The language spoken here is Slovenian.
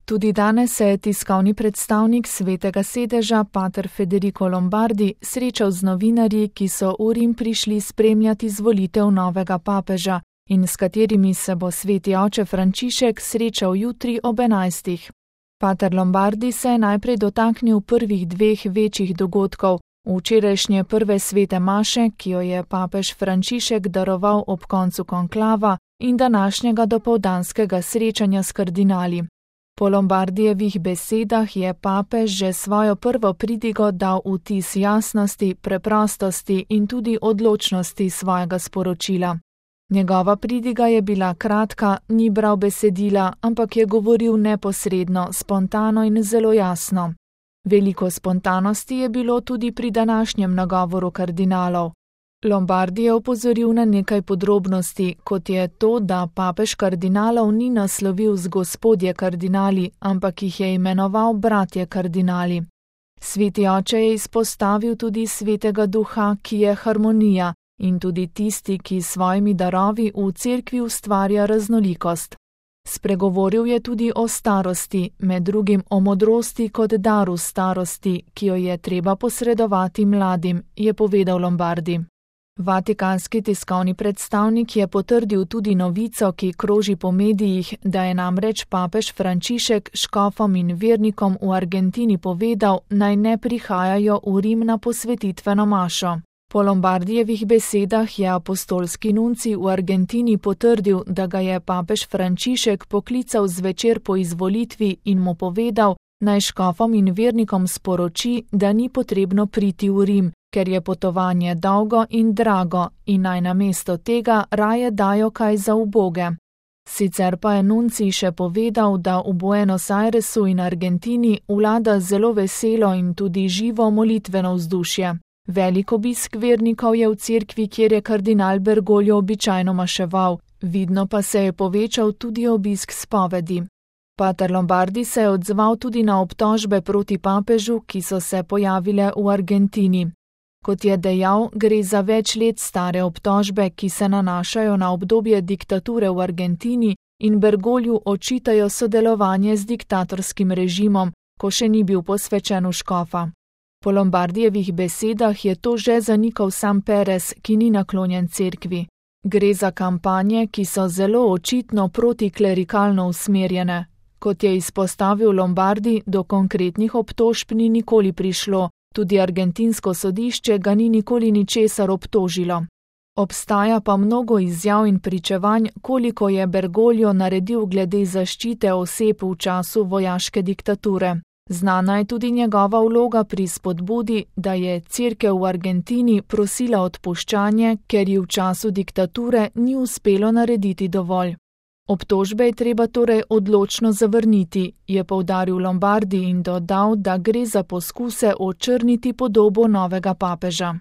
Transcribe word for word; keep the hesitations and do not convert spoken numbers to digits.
Tudi danes se je tiskovni predstavnik Svetega sedeža, pater Federico Lombardi, srečal z novinarji, ki so v Rim prišli spremljati izvolitev novega papeža in s katerimi se bo sveti oče Frančišek srečal jutri ob enajstih. Pater Lombardi se je najprej dotaknil prvih dveh večjih dogodkov, včerajšnje prve svete maše, ki jo je papež Frančišek daroval ob koncu konklava, in današnjega dopoldanskega srečanja s kardinali. Po Lombardijevih besedah je papež že svojo prvo pridigo dal vtis jasnosti, preprostosti in tudi odločnosti svojega sporočila. Njegova pridiga je bila kratka, ni bral besedila, ampak je govoril neposredno, spontano in zelo jasno. Veliko spontanosti je bilo tudi pri današnjem nagovoru kardinalov. Lombardi je opozoril na nekaj podrobnosti, kot je to, da papež kardinalov ni naslovil z gospodje kardinali, ampak jih je imenoval bratje kardinali. Sveti oče je izpostavil tudi svetega duha, ki je harmonija, in tudi tisti, ki s svojimi darovi v cerkvi ustvarja raznolikost. Spregovoril je tudi o starosti, med drugim o modrosti kot daru starosti, ki jo je treba posredovati mladim, je povedal Lombardi. Vatikanski tiskovni predstavnik je potrdil tudi novico, ki kroži po medijih, da je namreč papež Frančišek škofom in vernikom v Argentini povedal, naj ne prihajajo v Rim na posvetitveno mašo. Po Lombardijevih besedah je apostolski nuncij v Argentini potrdil, da ga je papež Frančišek poklical zvečer po izvolitvi in mu povedal, naj škofom in vernikom sporoči, da ni potrebno priti v Rim, ker je potovanje dolgo in drago in naj namesto tega raje dajo kaj za uboge. Sicer pa je nuncij še povedal, da v Buenos Airesu in Argentini vlada zelo veselo in tudi živo molitveno vzdušje. Velik obisk vernikov je v cerkvi, kjer je kardinal Bergoglio običajno maševal, vidno pa se je povečal tudi obisk spovedi. Pater Lombardi se je odzval tudi na obtožbe proti papežu, ki so se pojavile v Argentini. Kot je dejal, gre za več let stare obtožbe, ki se nanašajo na obdobje diktature v Argentini in Bergogliu očitajo sodelovanje z diktatorskim režimom, ko še ni bil posvečen v škofa. Po Lombardijevih besedah je to že zanikal sam Perez, ki ni naklonjen cerkvi. Gre za kampanje, ki so zelo očitno protiklerikalno usmerjene. Kot je izpostavil Lombardi, do konkretnih obtožb ni nikoli prišlo, tudi argentinsko sodišče ga ni nikoli ničesar obtožilo. Obstaja pa mnogo izjav in pričevanj, koliko je Bergoglio naredil glede zaščite oseb v času vojaške diktature. Znana je tudi njegova vloga pri spodbudi, da je cerkev v Argentini prosila odpuščanje, ker ji v času diktature ni uspelo narediti dovolj. Obtožbe je treba torej odločno zavrniti, je poudaril Lombardi in dodal, da gre za poskuse očrniti podobo novega papeža.